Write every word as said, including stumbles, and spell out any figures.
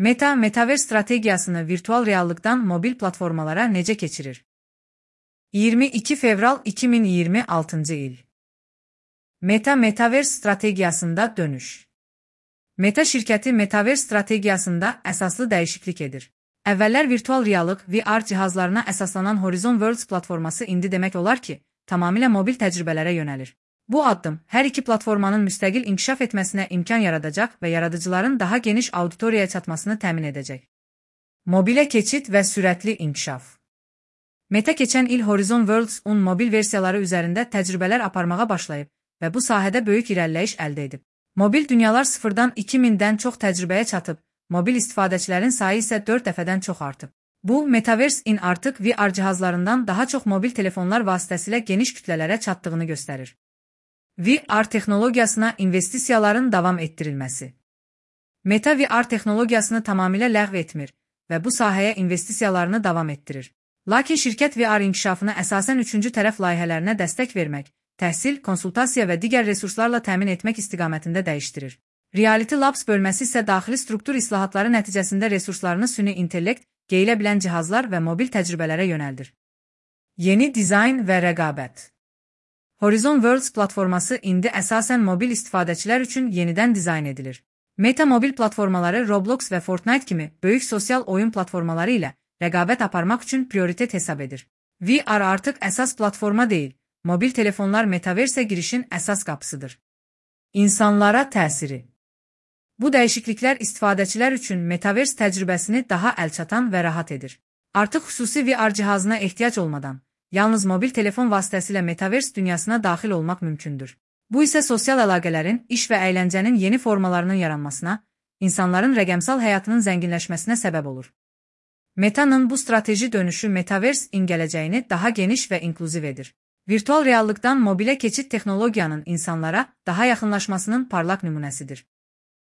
Meta, Metaverse strategiyasını virtual reallıqdan mobil platformalara necə keçirir? iyirmi iki fevral iki min iyirmi altıncı il. Meta, Metaverse strategiyasında dönüş. Meta şirkəti Metaverse strategiyasında əsaslı dəyişiklik edir. Əvvəllər virtual reallıq V R cihazlarına əsaslanan Horizon Worlds platforması indi demək olar ki, tamamilə mobil təcrübələrə yönəlir. Bu addım hər iki platformanın müstəqil inkişaf etməsinə imkan yaradacaq və yaradıcıların daha geniş auditoriyaya çatmasını təmin edəcək. Mobilə keçid və sürətli inkişaf. Meta keçən il Horizon Worlds-un mobil versiyaları üzərində təcrübələr aparmağa başlayıb və bu sahədə böyük irəliləyiş əldə edib. Mobil dünyalar sıfırdan iki mindən çox təcrübəyə çatıb, mobil istifadəçilərin sayı isə dörd dəfədən çox artıb. Bu, Metaverse-in artıq V R cihazlarından daha çox mobil telefonlar vasitəsilə geniş kütlələrə çatdığını göstərir. V R texnologiyasına investisiyaların davam etdirilməsi. Meta V R texnologiyasını tamamilə ləğv etmir və bu sahəyə investisiyalarını davam etdirir. Lakin şirkət V R inkişafına əsasən üçüncü tərəf layihələrinə dəstək vermək, təhsil, konsultasiya və digər resurslarla təmin etmək istiqamətində dəyişdirir. Reality Labs bölməsi isə daxili struktur islahatları nəticəsində resurslarını süni intellekt, geyilə bilən cihazlar və mobil təcrübələrə yönəldir. Yeni dizayn və rəqabət. Horizon Worlds platforması indi əsasən mobil istifadəçilər üçün yenidən dizayn edilir. Meta mobil platformaları Roblox və Fortnite kimi böyük sosial oyun platformaları ilə rəqabət aparmaq üçün prioritet hesab edir. V R artıq əsas platforma deyil, mobil telefonlar Metaverse-ə girişin əsas qapısıdır. İnsanlara təsiri. Bu dəyişikliklər istifadəçilər üçün Metaverse təcrübəsini daha əlçatan və rahat edir. Artıq xüsusi V R cihazına ehtiyac olmadan, yalnız mobil telefon vasitəsilə Metaverse dünyasına daxil olmaq mümkündür. Bu isə sosial əlaqələrin, iş və əyləncənin yeni formalarının yaranmasına, insanların rəqəmsal həyatının zənginləşməsinə səbəb olur. Meta'nın bu strateji dönüşü Metaverse-in gələcəyini daha geniş və inklüziv edir. Virtual reallıqdan mobilə keçid texnologiyanın insanlara daha yaxınlaşmasının parlaq nümunəsidir.